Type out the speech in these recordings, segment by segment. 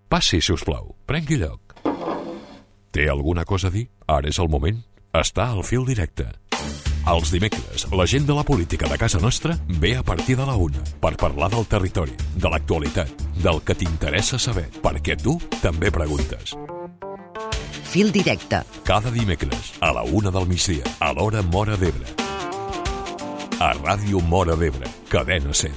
Passi, si us plau. Prengui lloc. Té alguna cosa a dir? Ara és el moment. Està al fil directe. Els dimecres, la gent de la política de casa nostra ve a partir de la 1 per parlar del territori, de l'actualitat, del que t'interessa saber, perquè tu també preguntes. Fil directe. Cada dimecres, a la 1 del migdia, a l'hora Móra d'Ebre. A Ràdio Móra d'Ebre, Cadena SER.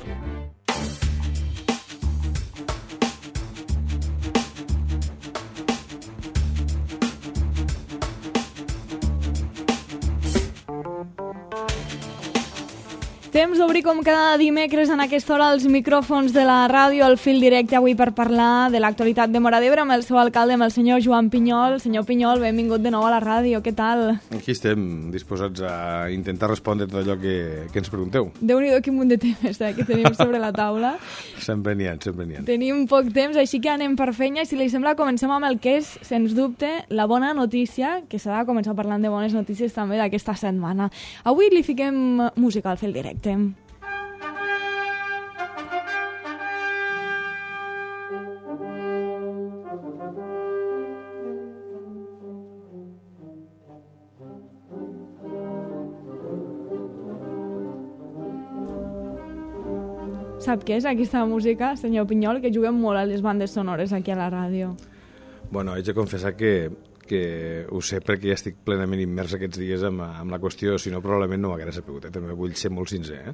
Temps d'obrir com cada dimecres en aquesta hora els micròfons de la ràdio, el fil directe avui per parlar de l'actualitat de Móra d'Ebre amb el seu alcalde, amb el senyor Joan Pinyol. Senyor Pinyol, benvingut de nou a la ràdio, què tal? Aquí estem disposats a intentar respondre tot allò que ens pregunteu. Déu-n'hi-do quin munt de temes que tenim sobre la taula. Sempre n'hi ha, sempre n'hi ha. Tenim poc temps, així que anem per feina i si li sembla comencem amb el que és, sens dubte, la bona notícia, que s'ha de començar parlant de bones notícies també d'aquesta setmana. Avui li fiquem música al fil directe. Sap què és aquesta música, senyor Pinyol, que juguem molt a les bandes sonores aquí a la ràdio? Bueno, haig de confessar que ho sé perquè ja estic plenament immers aquests dies amb la qüestió, si no probablement no m'haguera sabut, també vull ser molt sincer.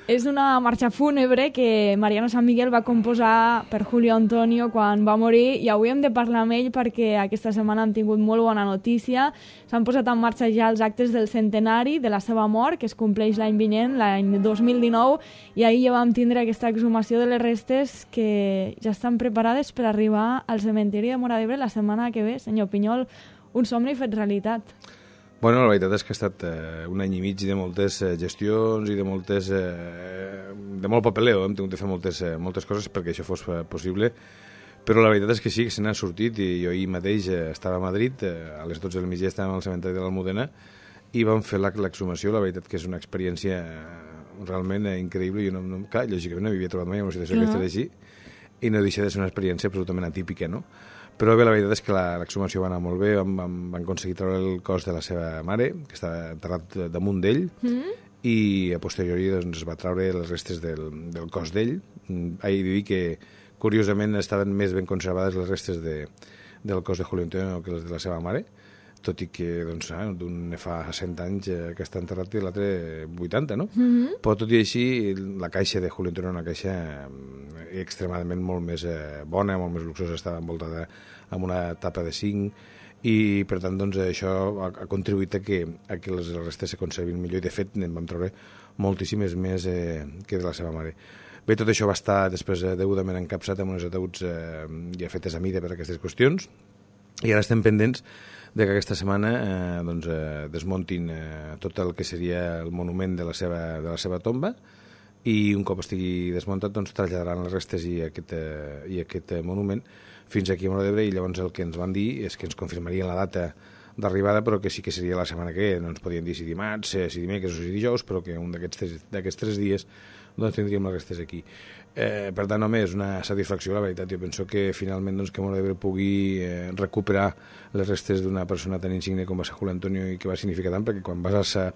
És una marxa fúnebre que Mariano San Miguel va composar per Julio Antonio quan va morir i avui hem de parlar amb ell perquè aquesta setmana han tingut molt bona notícia. S'han posat en marxa ja els actes del centenari de la seva mort, que es compleix l'any vinent, l'any 2019, i ahir ja vam tindre aquesta exhumació de les restes que ja estan preparades per arribar al cementiri de Móra d'Ebre la setmana que ve. Senyor Pinyol, un somni fet realitat. Bueno, la veritat és que ha estat un any i mig de moltes gestions i de molt papeleo. Hem tingut de fer moltes coses perquè això fos possible, però la veritat és que sí, que se n'ha sortit i jo ahir mateix estava a Madrid, a les 12 del migdia estàvem al cementeri de l'Almudena i vam fer l'exhumació. La veritat que és una experiència realment increïble. Jo clar, lògicament no m'havia trobat mai en una situació que estava així i no deixa de ser una experiència absolutament atípica, no? Però bé, la veritat és que l'exhumació va anar molt bé, van aconseguir treure el cos de la seva mare, que estava enterrat damunt d'ell, i a posteriori doncs, es va treure les restes del cos d'ell. He de dir que, curiosament, estaven més ben conservades les restes del cos de Julio Antonio que les de la seva mare, tot i que doncs, d'un fa 100 anys que està enterrat i l'altre 80, no? Però tot i així, la caixa de Julio Antonio era una caixa extremadament molt més bona, molt més luxosa, estava envoltada amb una tapa de zinc i per tant doncs, això ha contribuït a que les restes se conservin millor i de fet en vam treure moltíssimes més que de la seva mare. Bé, tot això va estar després degudament encapsat amb uns ataúds ja fetes a mida per aquestes qüestions i ara estem pendents de que aquesta setmana desmuntin tot el que seria el monument de la seva tomba i un cop estigui desmuntat doncs, traslladaran les restes i aquest monument fins aquí a Móra d'Ebre i llavors el que ens van dir és que ens confirmarien la data d'arribada però que sí que seria la setmana que ve, no ens podien dir si dimarts, si dimecres o si dijous, però que un d'aquests 3 dies doncs tindríem les restes aquí. Per tant, home, és una satisfacció, la veritat. Jo penso que finalment doncs, que Móra d'Ebre pugui recuperar les restes d'una persona tan insigne com va ser Julio Antonio i que va significar tant, perquè quan vas a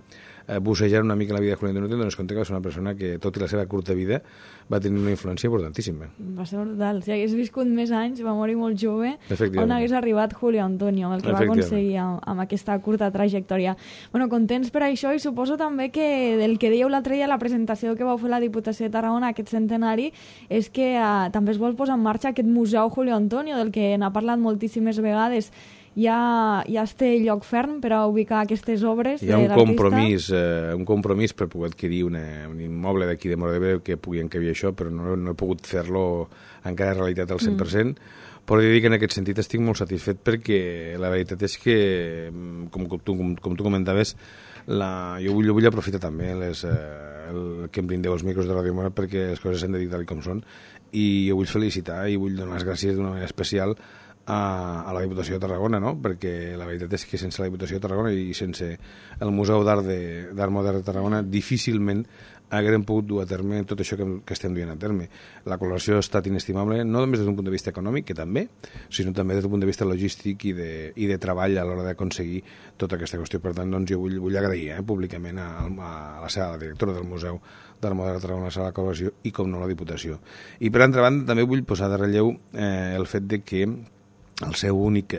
bussejar una mica la vida de Julio Antonio te dones compte que va ser una persona que, tot i la seva curta vida, va tenir una influència importantíssima. Va ser brutal. Si hagués viscut més anys, va morir molt jove, on hagués arribat Julio Antonio, el que va aconseguir amb aquesta curta trajectòria. Bueno, contents per això i suposo també que del que dèieu l'altre dia a la presentació que vau fer la Diputació de Tarragona, aquest centenari, és que també es vol posar en marxa aquest Museu Julio Antonio, del que n'ha parlat moltíssimes vegades. Ja es té lloc ferm per a ubicar aquestes obres de l'artista? Hi ha un compromís per poder adquirir un immoble d'aquí de Móra d'Ebre que pugui encabir això, però no he pogut fer-lo encara realitat al 100%. Però he de dir que en aquest sentit estic molt satisfet perquè la veritat és que, com tu comentaves, jo vull aprofitar també el que em brindeu els micros de Ràdio Móra perquè les coses s'han de dir tal com són i jo vull felicitar i vull donar les gràcies d'una manera especial a la Diputació de Tarragona, no? Perquè la veritat és que sense la Diputació de Tarragona i sense el Museu d'Art Modern de Tarragona difícilment haguem pogut dur a terme tot això que estem duent a terme. La col·laboració ha estat inestimable, no només des d'un punt de vista econòmic, que també, sinó també des d'un punt de vista logístic i de treball a l'hora d'aconseguir tota aquesta qüestió. Per tant, doncs, jo vull agrair públicament a la directora del Museu d'Art Modern de Tarragona, a la col·laboració i, com no, la Diputació. I, per altra banda, també vull posar de relleu el fet de que el seu únic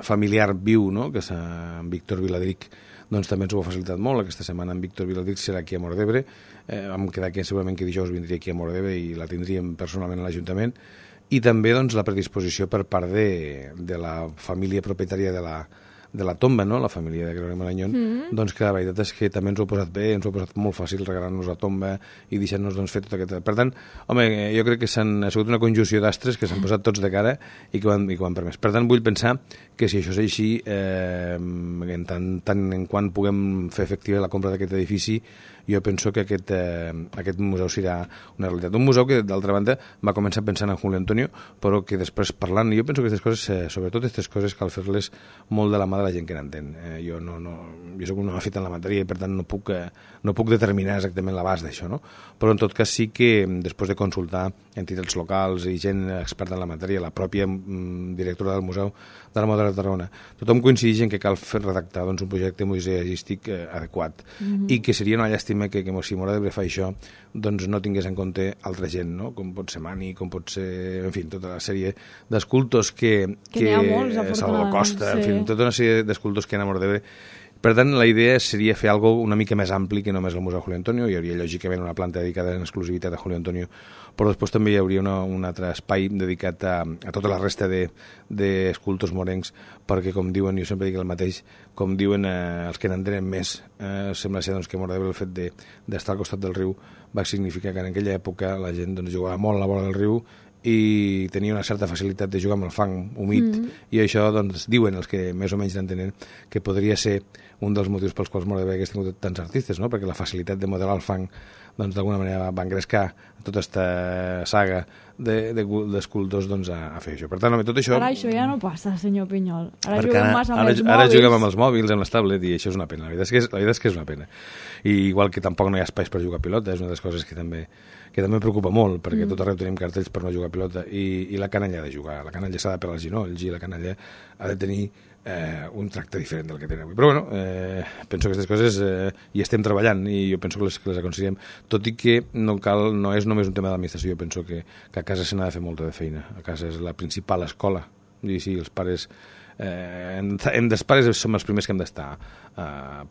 familiar viu, no? Que és en Víctor Viladric, doncs també ens ho ha facilitat molt. Aquesta setmana en Víctor Viladric serà aquí a Móra d'Ebre. Vam quedar que segurament que dijous vindria aquí a Móra d'Ebre i la tindríem personalment a l'Ajuntament. I també doncs, la predisposició per part de la família propietària de la tomba, no? La família de Gregorio Marañón, doncs que la veritat és que també ens ho ha posat bé, ens ho ha posat molt fàcil regalar-nos la tomba i deixar-nos doncs, fer tot aquest... Per tant, home, jo crec que ha sigut una conjunció d'astres que s'han posat tots de cara i que ho han permès. Per tant, vull pensar que si això és així, tant en quant puguem fer efectiva la compra d'aquest edifici, jo penso que aquest museu serà una realitat. Un museu que, d'altra banda, va començar pensant en Julio Antonio, però que després parlant, jo penso que aquestes coses, sobretot aquestes coses, cal fer-les molt de la mà de la gent que n'entén. Jo soc un home fet en la matèria i, per tant, no puc determinar exactament l'abast d'això, no? Però, en tot cas, sí que, després de consultar entitats locals i gent experta en la matèria, la pròpia directora del Museu d'Art Modern de Tarragona, tothom coincideix en que cal redactar doncs, un projecte museístic adequat i que seria una llàstima que si Móra d'Ebre fa això doncs no tingués en compte altra gent, no? Com pot ser Mani, com pot ser, en fi, tota la sèrie d'escultors que n'hi ha molts, Salvador Costa, sí. en fi, tota una sèrie d'escultors que hi ha a Móra d'Ebre. Per tant, la idea seria fer alguna una mica més ampli que només el Museu Julio Antonio. Hi hauria, lògicament, una planta dedicada en exclusivitat a Julio Antonio, però després també hi hauria un altre espai dedicat a tota la resta d'escultors morencs, perquè, com diuen, jo sempre dic el mateix, com diuen els que n'entenen més, sembla ser doncs, que Móra d'Ebre, el fet d'estar al costat del riu, va significar que en aquella època la gent doncs, jugava molt a la vora del riu i tenia una certa facilitat de jugar amb el fang humit, i això, doncs, diuen els que més o menys l'entenen, que podria ser un dels motius pels quals Móra d'Ebre hagués tingut tants artistes, no? Perquè la facilitat de modelar el fang doncs, d'alguna manera va engrescar tota aquesta saga d'escultors doncs, a fer això. Per tant, tot això... Ara això ja no passa, senyor Pinyol. Ara perquè juguem massa amb els mòbils. Ara juguem amb els mòbils, amb les tablets, i això és una pena. La veritat és que és una pena. I igual que tampoc no hi ha espais per jugar a pilota, és una de les coses que també em preocupa molt, perquè tot arreu tenim cartells per no jugar a pilota, i la canalla ha de jugar. La canalla s'ha de pelar els ginolls i la canalla ha de tenir un tracte diferent del que tenen avui. Però bueno, penso que aquestes coses hi estem treballant i jo penso que les aconseguirem, tot i que no és només un tema de l'administració. Jo penso que a casa se n'ha de fer molta de feina. A casa és la principal escola, i sí, els pares els pares som els primers que hem d'estar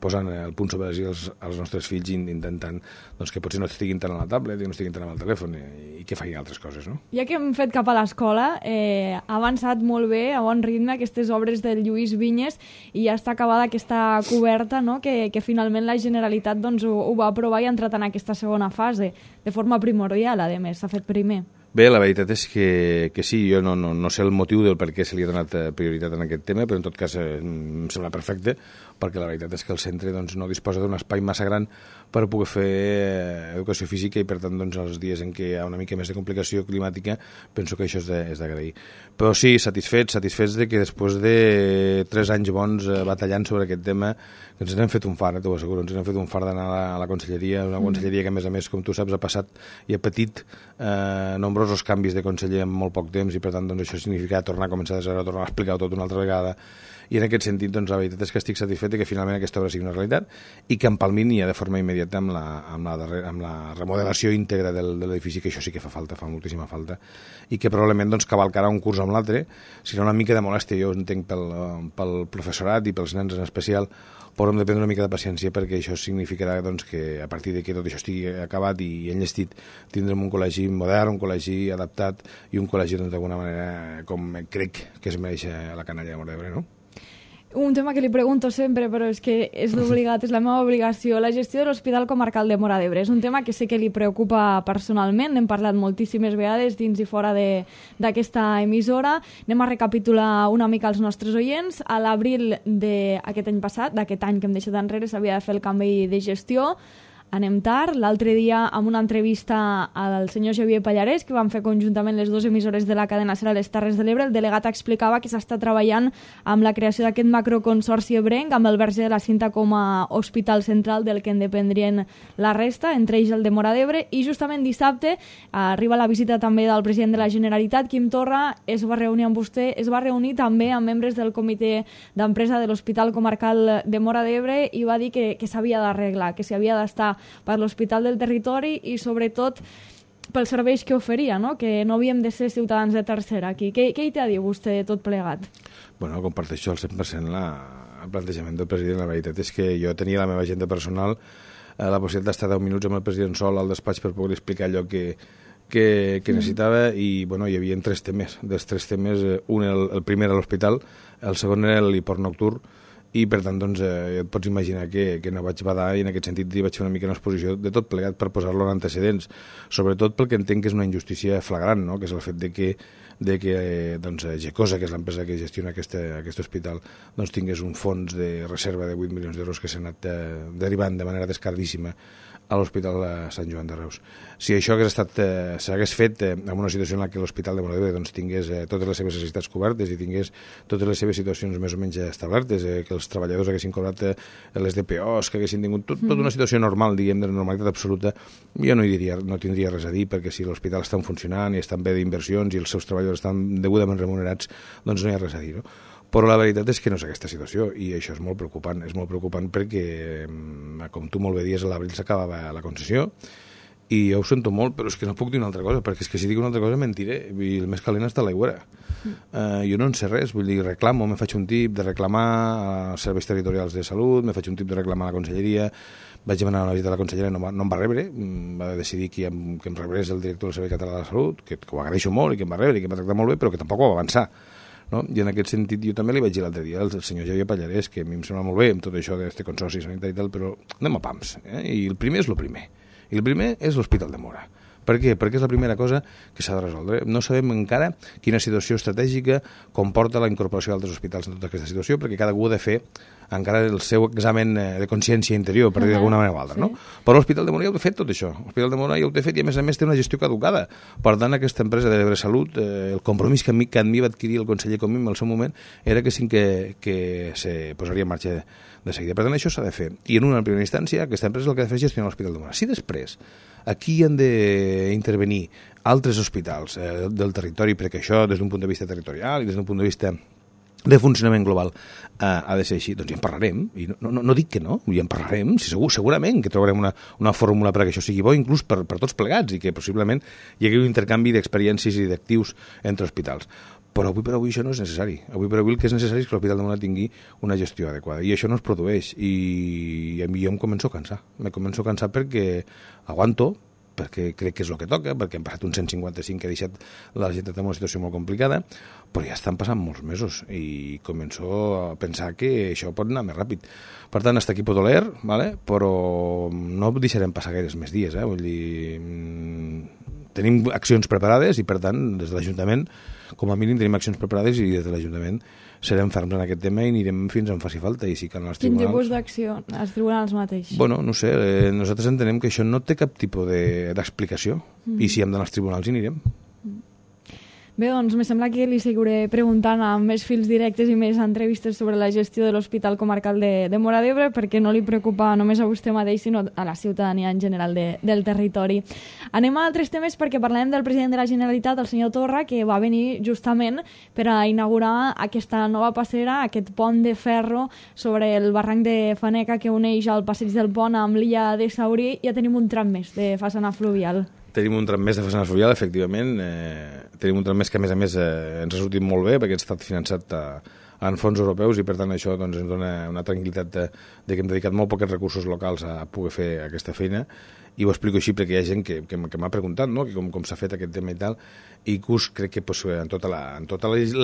posant el punt sobre els nostres fills i intentant doncs, que potser no estiguin tant a la tablet i no estiguin tant amb el telèfon i que facin altres coses, no? Ja que hem fet cap a l'escola, ha avançat molt bé, a bon ritme, aquestes obres del Lluís Vinyes, i ja està acabada aquesta coberta, no? que finalment la Generalitat doncs, ho va aprovar i ha entrat en aquesta segona fase, de forma primordial, a més, s'ha fet primer. Bé, la veritat és que sí, jo no sé el motiu del per què se li ha donat prioritat en aquest tema, però en tot cas em sembla perfecte, perquè la veritat és que el centre doncs, no disposa d'un espai massa gran per poder fer educació física i, per tant, doncs, els dies en què hi ha una mica més de complicació climàtica, penso que això és d'agrair. Però sí, satisfets de que després de 3 anys bons batallant sobre aquest tema, que ens n'hem fet un far, t'ho asseguro, ens n'hem fet un far d'anar a la conselleria, una conselleria que, a més, com tu saps, ha passat i ha patit nombrosos canvis de conseller en molt poc temps, i, per tant, doncs, això significa tornar a començar de zero, tornar a explicar-ho tot una altra vegada. I en aquest sentit, doncs, la veritat és que estic satisfet que finalment aquesta obra sigui una realitat i que empalmin ja de forma immediata amb la remodelació íntegra de l'edifici, que això sí que fa falta, fa moltíssima falta, i que probablement doncs, cavalcarà un curs amb l'altre. Serà una mica de molèstia, jo entenc, pel professorat i pels nens en especial, però hem de prendre una mica de paciència, perquè això significarà doncs, que a partir de que tot això estigui acabat i enllestit tindrem un col·legi modern, un col·legi adaptat i un col·legi doncs, d'alguna manera com crec que es mereix la canalla de Móra d'Ebre, no? Un tema que li pregunto sempre, però és que és obligat, és la meva obligació. La gestió de l'Hospital Comarcal de Móra d'Ebre és un tema que sé que li preocupa personalment, n'hem parlat moltíssimes vegades dins i fora d'aquesta emissora. Anem a recapitular una mica els nostres oients. A l'abril d'aquest any passat, d'aquest any que hem deixat enrere, s'havia de fer el canvi de gestió. anem tard. L'altre dia, amb una entrevista al senyor Xavier Pallarès, que van fer conjuntament les dues emissores de la cadena SER a les Terres de l'Ebre, el delegat explicava que s'està treballant amb la creació d'aquest macroconsorci ebrenc, amb el Verge de la Cinta com a hospital central del que en dependrien la resta, entre ells el de Móra d'Ebre, i justament dissabte arriba la visita també del president de la Generalitat, Quim Torra, es va reunir amb vostè, es va reunir també amb membres del comitè d'empresa de l'Hospital Comarcal de Móra d'Ebre i va dir que s'havia d'arreglar, que s'hi havia d'estar per l'hospital del territori i sobretot pels serveis que oferia, no? Que no havíem de ser ciutadans de tercera aquí. Què hi té a dir vostè de tot plegat? Bueno, comparteixo al 100% el plantejament del president. La veritat és que jo tenia la meva agenda personal la possibilitat d'estar 10 minuts amb el president sol al despatx per poder explicar allò que necessitava i bueno, hi havia 3 temes. Dels 3 temes, un el primer a l'hospital, el segon era l'hiport nocturn i per tant doncs, et pots imaginar que no vaig badar i en aquest sentit vaig fer una mica una exposició de tot plegat per posar-lo en antecedents, sobretot perquè entenc que és una injustícia flagrant, no? Que és el fet de que doncs, Gecosa, que és l'empresa que gestiona aquest hospital, doncs tingués un fons de reserva de 8 milions d'euros que s'ha anat derivant de manera descaradíssima a l'Hospital de Sant Joan de Reus. Si això s'hagués fet en una situació en la que l'Hospital de Móra d'Ebre doncs, tingués totes les seves necessitats cobertes i tingués totes les seves situacions més o menys establertes, que els treballadors haguessin cobrat les DPOs, que haguessin tingut tota una situació normal, diguem, de normalitat absoluta, jo no tindria res a dir, perquè si l'hospital està funcionant i estan bé d'inversions i els seus treballadors estan degudament remunerats, doncs no hi ha res a dir, no? Però la veritat és que no és aquesta situació i això és molt preocupant. És molt preocupant perquè, com tu molt bé dius, a l'abril s'acabava la concessió i jo ho sento molt, però és que no puc dir una altra cosa, perquè és que si dic una altra cosa mentiré i el més calent està a l'aigüera. Jo no en sé res, vull dir, reclamo, me faig un tip de reclamar als serveis territorials de salut, me faig un tip de reclamar a la conselleria, vaig demanar una visita a la consellera, no em va rebre, va decidir que em rebrés el director del Servei Català de la Salut, que ho agraeixo molt i que em va rebre i que em va tractar molt bé, però que tampoc ho va avançar. No? I en aquest sentit jo també li vaig dir l'altre dia al senyor Xavier Pallarès, que a mi em sembla molt bé amb tot això d'aquest consorci sanitari i tal, però anem a pams, i el primer és el primer. I el primer és l'Hospital de Móra. Per què? Perquè és la primera cosa que s'ha de resoldre. No sabem encara quina situació estratègica comporta la incorporació d'altres hospitals en tota aquesta situació, perquè cada algú ha de fer encara el seu examen de consciència interior, per dir d'alguna manera o altra, no? Però l'Hospital de Móra ja ho té fet tot això. L'Hospital de Móra ja ho té fet i a més té una gestió caducada. Per tant, aquesta empresa de l'Ebre Salut, el compromís que a mi va adquirir el conseller Comín al seu moment era que sí que se posaria en marxa de seguida. Per tant, això s'ha de fer. I en una primera instància, aquesta empresa el que ha de fer és gestionar l'Hospital de Móra. Si després aquí han d'intervenir altres hospitals del territori, perquè això des d'un punt de vista territorial i des d'un punt de vista de funcionament global ha de ser així, doncs ja en parlarem, i no dic que no, ja en parlarem, segurament que trobarem una fórmula perquè això sigui bo, inclús per tots plegats, i que possiblement hi hagi un intercanvi d'experiències i d'actius entre hospitals. Però avui per avui això no és necessari. Avui per avui el que és necessari és que l'Hospital de Móra tingui una gestió adequada. I això no es produeix. I a mi jo em començo a cansar. Me començo a cansar perquè aguanto, perquè crec que és el que toca, perquè hem passat un 155 que ha deixat la gent en una situació molt complicada, però ja estan passant molts mesos i començo a pensar que això pot anar més ràpid. Per tant, hasta aquí pot oler, ¿vale? Però no deixarem passar gaires més dies. Vull dir, tenim accions preparades i, per tant, des de l'Ajuntament, com a mínim tenim accions preparades i des de l'Ajuntament serem ferms en aquest tema i anirem fins on faci falta. I si cal als tribunals... Quin tipus d'acció? Els tribunals mateix? Bueno, no sé, nosaltres entenem que això no té cap tipus d'explicació i si hem d'anar als tribunals hi anirem. Bé, doncs, me sembla que li seguiré preguntant amb més fils directes i més entrevistes sobre la gestió de l'Hospital Comarcal de Móra d'Ebre, perquè no li preocupa només a vostè mateix, sinó a la ciutadania en general del territori. Anem a altres temes perquè parlem del president de la Generalitat, el senyor Torra, que va venir justament per a inaugurar aquesta nova passera, aquest pont de ferro sobre el barranc de Faneca que uneix el passeig del pont amb l'illa de Saurí. Ja tenim un tram més de façana fluvial. Tenim un tram més de façana fluvial, efectivament. Tenim un tram més que, a més, ens ha sortit molt bé perquè ha estat finançat en fons europeus i, per tant, això doncs, ens dona una tranquil·litat de que hem dedicat molt pocs recursos locals a poder fer aquesta feina. I ho explico així perquè hi ha gent que m'ha preguntat, no?, que com s'ha fet aquest tema i tal, i que crec que en tota la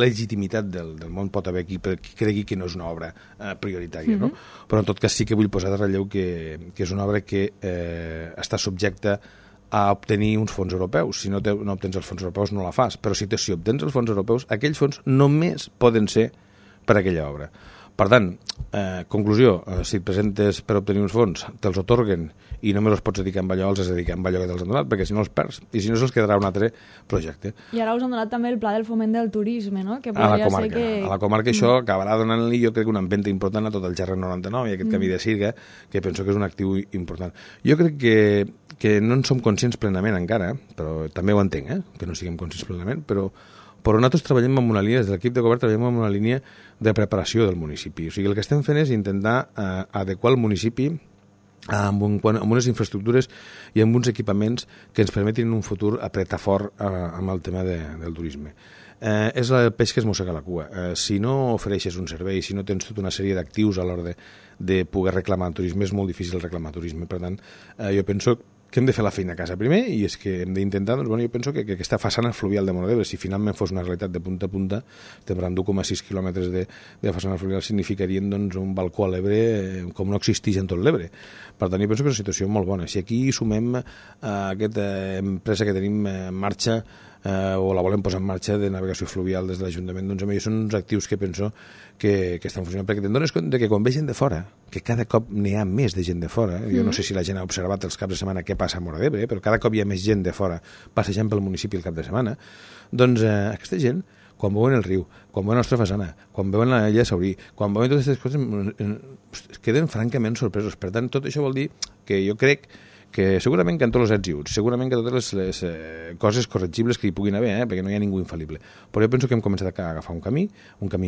legitimitat del món pot haver qui cregui que no és una obra prioritària, no? Però en tot cas sí que vull posar de relleu que és una obra que està subjecta a obtenir uns fons europeus. Si no obtens els fons europeus no la fas, però si obtens els fons europeus, aquells fons només poden ser per a aquella obra. Per tant, conclusió, si et presentes per obtenir uns fons, te'ls otorguen i només els pots dedicar a allò, els has de dedicar a allò que te'ls han donat, perquè si no els perds, i si no se'ls quedarà un altre projecte. I ara us han donat també el pla del foment del turisme, no? Que A la comarca això acabarà donant-li, jo crec, una empenta important a tot el Gerra 99 i aquest camí de Sirga, que penso que és un actiu important. Jo crec que no en som conscients plenament encara, però també ho entenc, que no siguem conscients plenament, però nosaltres treballem en una línia, des de l'equip de govern treballem en una línia de preparació del municipi. O sigui, el que estem fent és intentar adequar el municipi amb unes infraestructures i amb uns equipaments que ens permetin en un futur apretar fort amb el tema del turisme. És el peix que es mossega la cua. Si no ofereixes un servei, si no tens tota una sèrie d'actius a l'hora de poder reclamar el turisme, és molt difícil reclamar turisme. Per tant, jo penso que hem de fer la feina a casa primer i és que hem d'intentar, doncs, jo penso que aquesta façana fluvial de Móra d'Ebre, si finalment fos una realitat de punta a punta, estem parlant d'1,6 quilòmetres de façana fluvial, significarien doncs, un balcó a l'Ebre com no existeix en tot l'Ebre. Per tant, jo penso que és una situació molt bona. Si aquí sumem aquesta empresa que tenim en marxa o la volem posar en marxa de navegació fluvial des de l'Ajuntament, doncs a mi són uns actius que penso que estan funcionant, perquè te'n dones compte que quan ve gent de fora, que cada cop n'hi ha més de gent de fora, jo no sé si la gent ha observat els caps de setmana què passa a Móra d'Ebre, però cada cop hi ha més gent de fora passejant pel municipi el cap de setmana, doncs aquesta gent, quan veuen el riu, quan veuen la nostra façana, quan veuen la illa de Saurí, quan veuen totes aquestes coses, queden francament sorpresos. Per tant, tot això vol dir que jo crec que segurament que en tots els ets i uts, segurament que totes les coses corregibles que hi puguin haver, perquè no hi ha ningú infal·lible. Però jo penso que hem començat a agafar un camí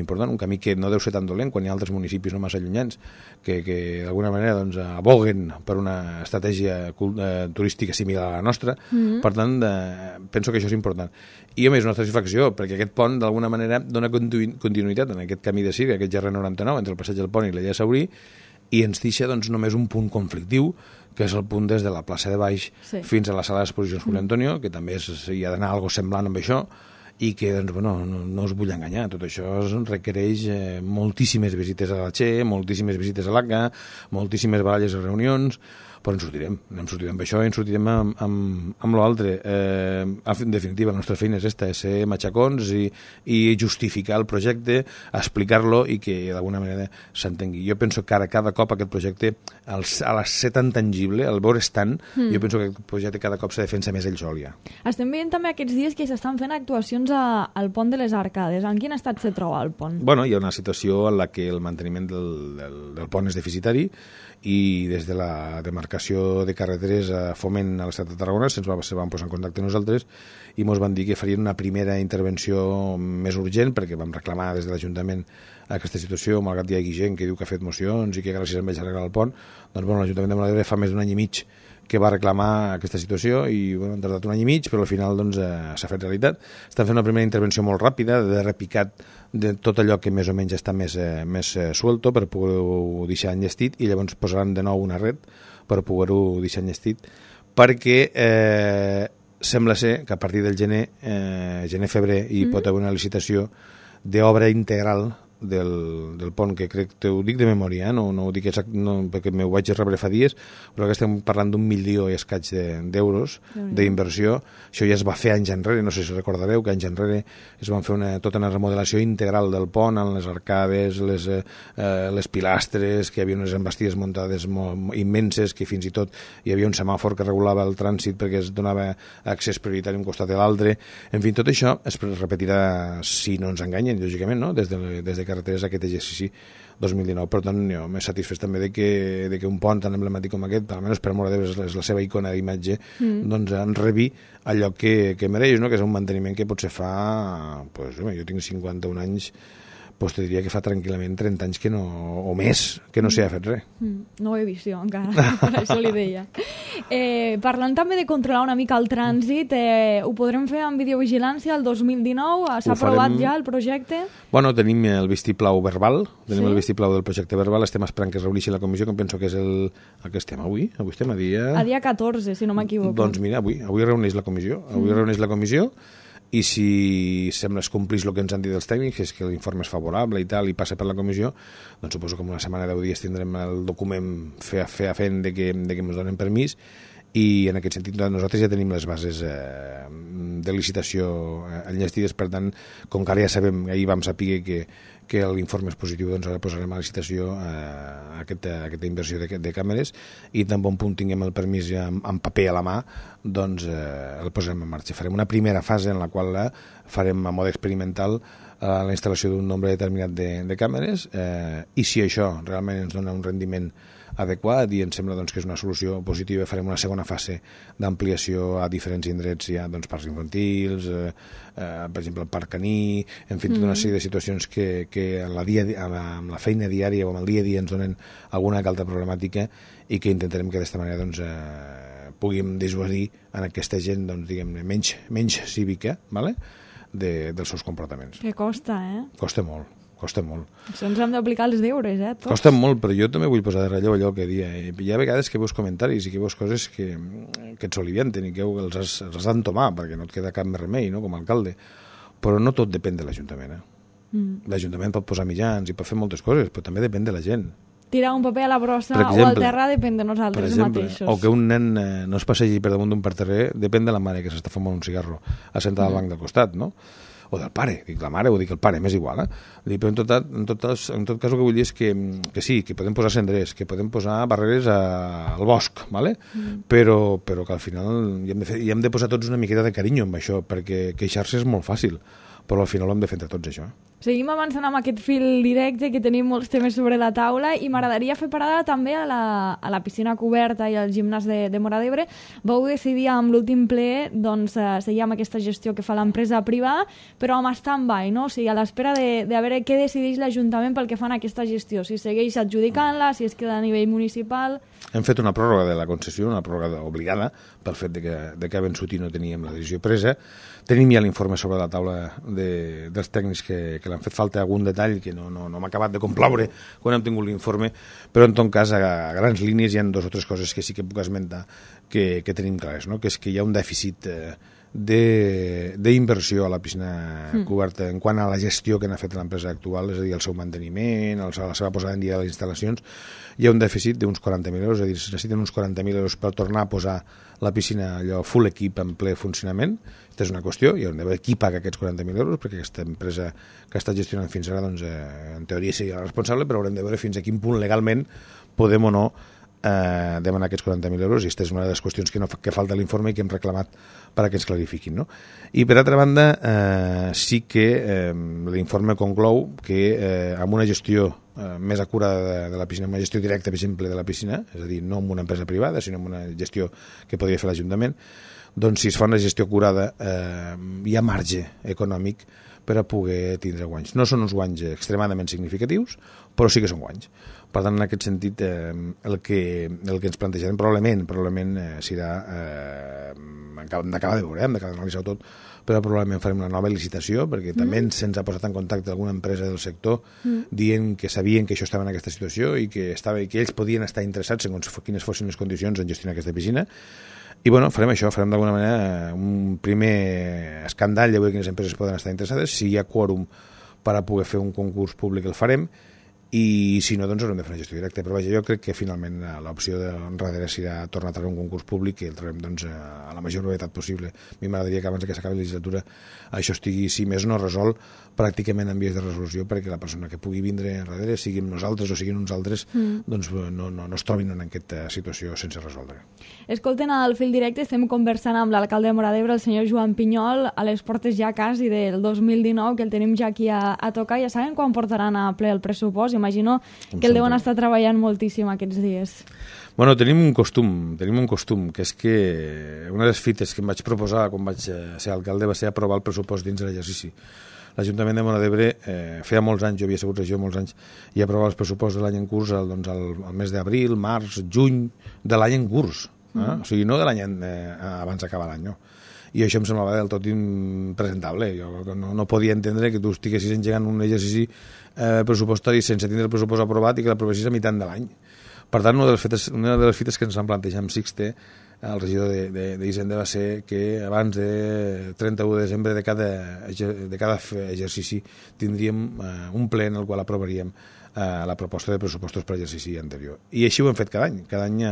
important, un camí que no deu ser tan dolent quan hi ha altres municipis no massa allunyans que d'alguna manera doncs, aboguen per una estratègia turística similar a la nostra. Per tant, penso que això és important. I a més, una satisfacció, perquè aquest pont d'alguna manera dona continuïtat en aquest camí de Sirga, aquest Gerra 99, entre el passeig del Pont i l'illa de Saurí, i ens deixa doncs, només un punt conflictiu, que és el punt des de la plaça de Baix fins a la sala d'exposicions Julio Antonio, que també hi ha d'anar algo semblant amb això, i que doncs, bueno, no us vull enganyar, tot això requereix moltíssimes visites a la Che, moltíssimes visites a l'ACA, moltíssimes baralles i reunions, però ens sortirem amb això i ens sortirem amb l'altre. En definitiva, la nostra feina és esta, és ser matxacons i justificar el projecte, explicar-lo i que d'alguna manera s'entengui. Jo penso que ara cada cop aquest projecte, a ser tan tangible, al veure's tant, jo penso que aquest projecte cada cop se defensa més ell sol ja. Estem veient també aquests dies que s'estan fent actuacions al pont de les Arcades. En quin estat se troba el pont? Bueno, hi ha una situació en la que el manteniment del pont és deficitari i des de la demarcació de carreteres a Foment a l'Estat de Tarragona se van posar en contacte amb nosaltres i ens van dir que farien una primera intervenció més urgent perquè vam reclamar des de l'Ajuntament aquesta situació, malgrat hi hagi gent que diu que ha fet mocions i que gràcies a ells arreglar el pont, doncs bueno, l'Ajuntament de Móra d'Ebre fa més d'un any i mig que va reclamar aquesta situació i bueno, han tardat un any i mig, però al final doncs, s'ha fet realitat. Estan fent una primera intervenció molt ràpida, de repicat de tot allò que més o menys està més suelto per poder-ho deixar enllestit i llavors posaran de nou una red per poder-ho deixar enllestit perquè sembla ser que a partir del gener-febrer hi pot haver una licitació d'obra integral del pont, que crec que ho dic de memòria, no ho dic exacte, perquè m'ho vaig rebre fa dies, però que estem parlant d'1 milió i escaig d'euros d'inversió. Això ja es va fer anys enrere, no sé si recordareu que anys enrere es van fer tota una remodelació integral del pont, amb les arcades, les pilastres, que hi havia unes envestides muntades immenses, que fins i tot hi havia un semàfor que regulava el trànsit perquè es donava accés prioritari un costat a l'altre. En fi, tot això es repetirà, si no ens enganyen, lògicament, no? des de carreteres aquest exercici 2019. Per tant, jo m'he satisfet també de que un pont tan emblemàtic com aquest, almenys per Móra d'Ebre és la seva icona d'imatge, doncs en rebi allò que mereix, no? Que és un manteniment que potser fa, pues, jo tinc 51 anys, pues te diria que fa tranquil·lament 30 anys o més que no s'hi ha fet res. No ho he vist jo encara, per això li deia. Parlant també de controlar una mica el trànsit, ho podrem fer amb videovigilància el 2019? S'ha aprovat ja el projecte? Bueno, tenim el vistiplau verbal, el vistiplau del projecte verbal, estem esperant que es reuneixi la comissió, que em penso que és el que estem avui estem a dia... A dia 14, si no m'equivoco. Doncs mira, avui reuneix la comissió, i si sembla es complís el que ens han dit els tècnics, és que l'informe és favorable i tal, i passa per la comissió, doncs suposo que en una setmana 10 dies tindrem el document fent de que ens donen permís i en aquest sentit nosaltres ja tenim les bases de licitació enllestides, per tant, com que ara ja sabem, ahir vam saber que l'informe és positiu, doncs ara posarem a licitació aquesta inversió de càmeres i tan bon punt tinguem el permís ja en paper a la mà, doncs el posarem en marxa. Farem una primera fase en la qual farem a mode experimental la instal·lació d'un nombre determinat de càmeres i si això realment ens dona un rendiment adequat i em sembla doncs, que és una solució positiva, farem una segona fase d'ampliació a diferents indrets, ja, doncs, parcs infantils, per exemple el parc caní, en fi, tota una sèrie de situacions que amb la feina diària o amb el dia a dia ens donen alguna altra problemàtica i que intentarem que d'aquesta manera doncs, puguem dissuadir en aquesta gent doncs, diguem-ne menys cívica, ¿vale? Dels seus comportaments. Que costa, eh? Costa molt. Això ens hem d'aplicar els deures, tots. Costa molt, però jo també vull posar de relleu allò que dia. Hi ha vegades que veus comentaris i que veus coses que et solivienten i que els has d'entomar perquè no et queda cap més remei, no?, com a alcalde. Però no tot depèn de l'Ajuntament. L'Ajuntament pot posar mitjans i pot fer moltes coses, però també depèn de la gent. Tirar un paper a la brossa o al terra depèn de nosaltres mateixos. O que un nen no es passegi per damunt d'un parterrer depèn de la mare que s'està fumant un cigarro assentada al banc del costat, no? O del pare, dic la mare o dic el pare, m'és igual, però en tot cas el que vull dir és que sí, que podem posar cendrers, que podem posar barreres al bosc, ¿vale? Però que al final hi hem de posar tots una miqueta de carinyo amb això, perquè queixar-se és molt fàcil, però al final ho hem de fer entre tots, això. Seguim avançant amb aquest fil directe, que tenim molts temes sobre la taula, i m'agradaria fer parada també a la piscina coberta i al gimnàs de Móra d'Ebre. Vau decidir amb l'últim ple doncs, seguir amb aquesta gestió que fa l'empresa privada, però amb stand-by, no? O sigui, a l'espera de veure què decideix l'Ajuntament pel que fan a aquesta gestió, si segueix adjudicant-la, si es queda a nivell municipal... Hem fet una pròrroga de la concessió, una pròrroga obligada, pel fet de que a vençut i no teníem la decisió presa. Tenim ja l'informe sobre la taula dels tècnics que l'han fet falta algun detall que no m'ha acabat de complaure quan hem tingut l'informe, però en tot cas a grans línies hi ha 2 o 3 coses que sí que puc esmentar que tenim clares, no? Que és que hi ha un dèficit d'inversió a la piscina coberta en quant a la gestió que n'ha fet l'empresa actual, és a dir, el seu manteniment, la seva posada en dia de les instal·lacions. Hi ha un dèficit d'uns 40.000 euros, és a dir, es necessiten uns 40.000 euros per tornar a posar la piscina allò full equip en ple funcionament. Aquesta és una qüestió, hi haurem d'haver qui paga aquests 40.000 euros, perquè aquesta empresa que ha estat gestionant fins ara, doncs, en teoria seria la responsable, però haurem de veure fins a quin punt legalment podem o no demanar aquests 40.000 euros, i aquesta és una de les qüestions que falta a l'informe i que hem reclamat perquè ens clarifiquin, no? I per altra banda, sí que l'informe conclou que amb una gestió més acurada de la piscina, una gestió directa, per exemple, de la piscina, és a dir, no amb una empresa privada, sinó amb una gestió que podria fer l'Ajuntament, doncs si es fa una gestió acurada hi ha marge econòmic per a poder tindre guanys. No són uns guanys extremadament significatius, però sí que són guanys. Per tant, en aquest sentit, el que ens plantejarem probablement serà, hem d'acabar de veure, hem d'acabar d'analitzar tot, però probablement farem una nova licitació, perquè també se'ns ha posat en contacte alguna empresa del sector dient que sabien que això estava en aquesta situació i que ells podien estar interessats segons quines fossin les condicions en gestionar aquesta piscina. I bueno, farem això, farem d'alguna manera un primer escandall de veure quines empreses poden estar interessades. Si hi ha quòrum per a poder fer un concurs públic el farem, i si no, doncs haurem de fer una gestió directa. Però vaja, jo crec que finalment l'opció darrere serà tornar a treure un concurs públic i el traurem doncs, a la major brevetat possible. A mi m'agradaria que abans que s'acabi la legislatura això estigui, si més no resolt, pràcticament en vies de resolució, perquè la persona que pugui vindre darrere, siguin nosaltres o siguin uns altres, doncs no es trobin en aquesta situació sense resoldre. Escolten, al fil directe estem conversant amb l'alcalde de Móra d'Ebre, el senyor Joan Pinyol, a les portes ja quasi del 2019, que el tenim ja aquí a tocar. Ja saben quan portaran a ple el pressupost? Imagino que el deuen estar treballant moltíssim aquests dies. Bueno, tenim un costum, que és que una de les fites que em vaig proposar quan vaig ser alcalde va ser aprovar el pressupost dins de l'exercici. L'Ajuntament de Móra d'Ebre feia molts anys, jo havia sigut regidor molts anys, i aprovava els pressupostos de l'any en curs al mes d'abril, març, juny de l'any en curs. O sigui, no de l'any abans d'acabar l'any, no. I això em semblava del tot impresentable. Jo no podia entendre que tu estiguessis engegant un exercici pressupostari sense tindre el pressupost aprovat i que l'aprovessis a meitat de l'any. Per tant, una de les fites que ens van plantejar amb Sixte, el regidor d'Hisenda, va ser que abans de 31 de desembre de cada exercici tindríem un ple en el qual aprovaríem la proposta de pressupostos per exercici anterior. I així ho hem fet cada any. Cada any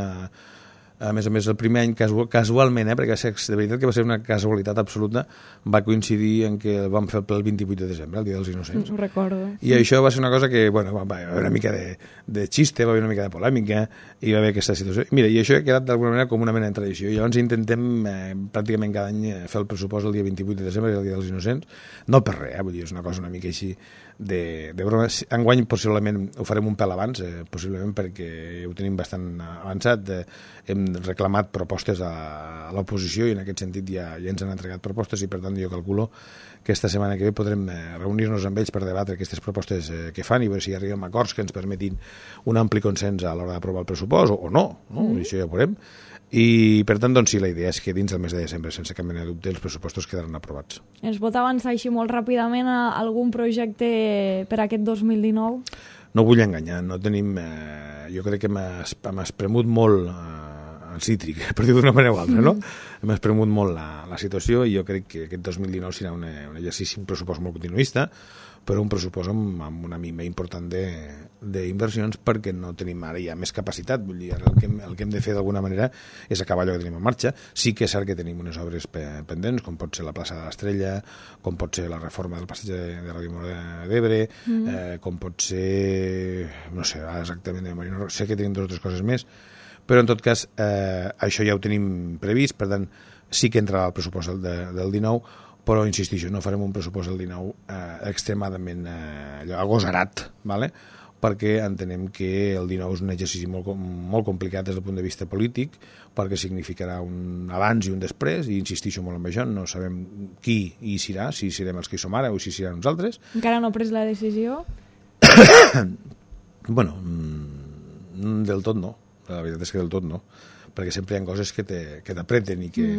A més, el primer any, casualment, perquè de veritat que va ser una casualitat absoluta, va coincidir en que el vam fer el 28 de desembre, el Dia dels Innocents. Ho recordo. I això va ser una cosa que, bueno, va haver una mica de xiste, va haver una mica de polèmica, i va haver aquesta situació. Mira, i això ha quedat d'alguna manera com una mena de tradició. I llavors intentem pràcticament cada any fer el pressupost el dia 28 de desembre, el Dia dels Innocents, no per res, vull dir, és una cosa una mica així de broma. Enguany possiblement ho farem un pèl abans, possiblement perquè ho tenim bastant avançat. Hem reclamat propostes a l'oposició i en aquest sentit ja ens han entregat propostes i per tant jo calculo que esta setmana que ve podrem reunir-nos amb ells per debatre aquestes propostes que fan i veure si arribem a acords que ens permetin un ampli consens a l'hora d'aprovar el pressupost o no? Això ja ho veurem. I per tant, doncs sí, la idea és que dins del mes de desembre, sense cap mena de dubte, els pressupostos quedaran aprovats. Ens pot avançar així molt ràpidament a algun projecte per aquest 2019? No vull enganyar, no tenim... jo crec que hem espremut molt el cítric, per dir-ho d'una manera o altra, no? Hem espremut molt la situació i jo crec que aquest 2019 serà un exercici, un pressupost molt continuista, però un pressupost amb una mima important d'inversions perquè no tenim ara ja més capacitat. Vull dir, ara el que hem de fer d'alguna manera és acabar allò que tenim en marxa. Sí que és cert que tenim unes obres pendents, com pot ser la plaça de l'Estrella, com pot ser la reforma del passeig de Ràdio Móra d'Ebre, com pot ser... no sé, exactament, sé que tenim dues o tres coses més, però en tot cas això ja ho tenim previst, per tant sí que entrarà al pressupost del 19, però insistixo, no farem un pressupost del 19 extremadament agosarat, ¿vale? Perquè entenem que el 19 és un exercici molt complicat des del punt de vista polític, perquè significarà un abans i un després, i insistixo molt en això, no sabem qui hi serà, si serem els que hi som ara o si serà nosaltres. Encara no ha pres la decisió? Bueno, del tot no, la veritat és que del tot no, perquè sempre hi ha coses que t'apreten i que...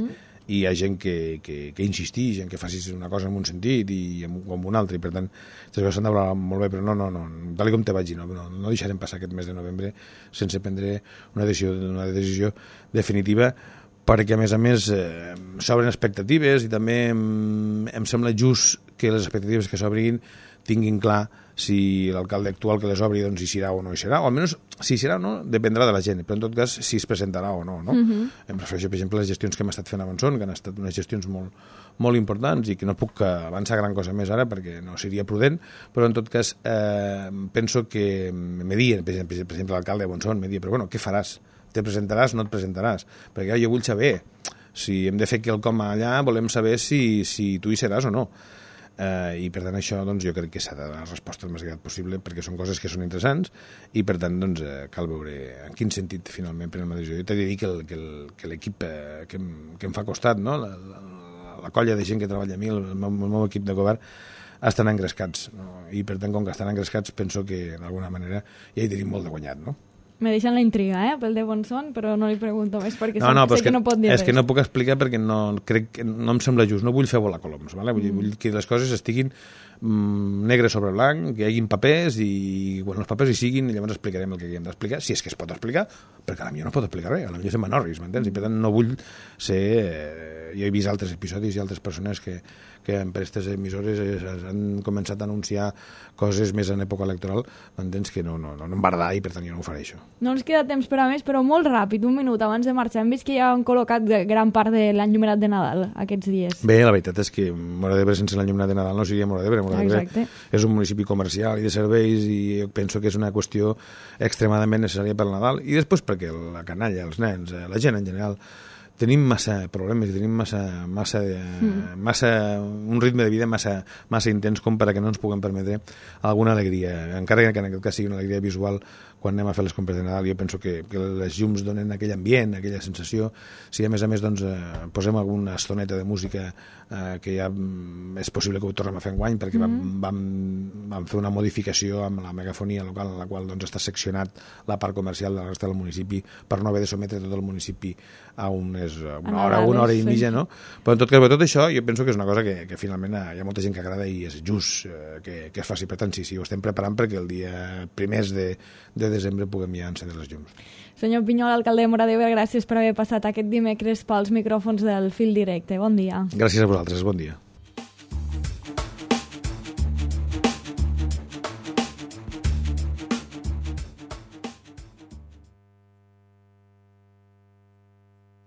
i hi ha gent que insisteix en que facis una cosa en un sentit i en un altre, i per tant les coses s'han de valorar molt bé, però no, tal com te vaig dir, no deixarem passar aquest mes de novembre sense prendre una decisió definitiva, perquè a més s'obren expectatives i també em sembla just que les expectatives que s'obrin tinguin clar si l'alcalde actual que les obri doncs hi serà o no hi serà, o almenys si hi serà o no dependrà de la gent, però en tot cas si es presentarà o no, no? Em refereixo per exemple a les gestions que hem estat fent a Montsón, que han estat unes gestions molt importants i que no puc avançar gran cosa més ara perquè no seria prudent, però en tot cas penso que me diuen, per exemple l'alcalde de Montsón me diuen, però bueno, què faràs? Te presentaràs o no et presentaràs? Perquè jo vull saber si hem de fer quelcom allà, volem saber si tu hi seràs o no. I per tant això doncs, jo crec que s'ha de donar resposta el més aviat possible perquè són coses que són interessants i per tant doncs, cal veure en quin sentit finalment prenem la decisió. Jo t'he de dir que l'equip que em fa costat, no? la colla de gent que treballa a mi, el meu equip de govern, estan engrescats, no? I per tant com que estan engrescats penso que d'alguna manera ja hi tenim molt de guanyat, no? Me deixen la intriga, pel de Montsón, però no li pregunto més perquè sé que no pot dir res. És que no puc explicar perquè no em sembla just, no vull fer volar coloms, ¿vale? Vull que les coses estiguin negre sobre blanc, que hi hagin papers i quan els papers hi siguin llavors explicarem el que hem d'explicar, si és que es pot explicar, perquè a la millor no pot explicar res, a la millor se'n manorris, m'entens? I per tant no vull ser... Jo he vist altres episodis i altres persones que per aquestes emissores han començat a anunciar coses més en època electoral, m'entens? Que no em va agradar i per tant jo no ho faré això. No ens queda temps per a més, però molt ràpid, un minut abans de marxar. Hem vist que ja han col·locat gran part de l'enllumenat de Nadal aquests dies. Bé, la veritat és que Móra d'Ebre sense l'enllumenat de Nadal no seria Móra d'Ebre. Móra d'Ebre és un municipi comercial i de serveis i jo penso que és una qüestió extremadament necessària per Nadal i després perquè la canalla, els nens, la gent en general tenim massa problemes i tenim massa un ritme de vida massa intens com per a que no ens puguem permetre alguna alegria, encara que en aquest cas sigui una alegria visual quan anem a fer les compres de Nadal. Jo penso que les llums donen aquell ambient, aquella sensació. Si a més doncs, posem alguna estoneta de música que ja és possible que ho tornem a fer enguany perquè vam fer una modificació amb la megafonia local en la qual doncs, està seccionat la part comercial de la resta del municipi per no haver de sometre tot el municipi a una hora i mitja, no? Però en tot cas, tot això jo penso que és una cosa que finalment hi ha molta gent que agrada i és just que es faci. Per tant, sí, ho estem preparant perquè el dia primers de desembre puguem ja encendre les llums. Senyor Pinyol, alcalde de Móra d'Ebre, gràcies per haver passat aquest dimecres pels micròfons del Fil Directe. Bon dia. Gràcies a vosaltres, bon dia.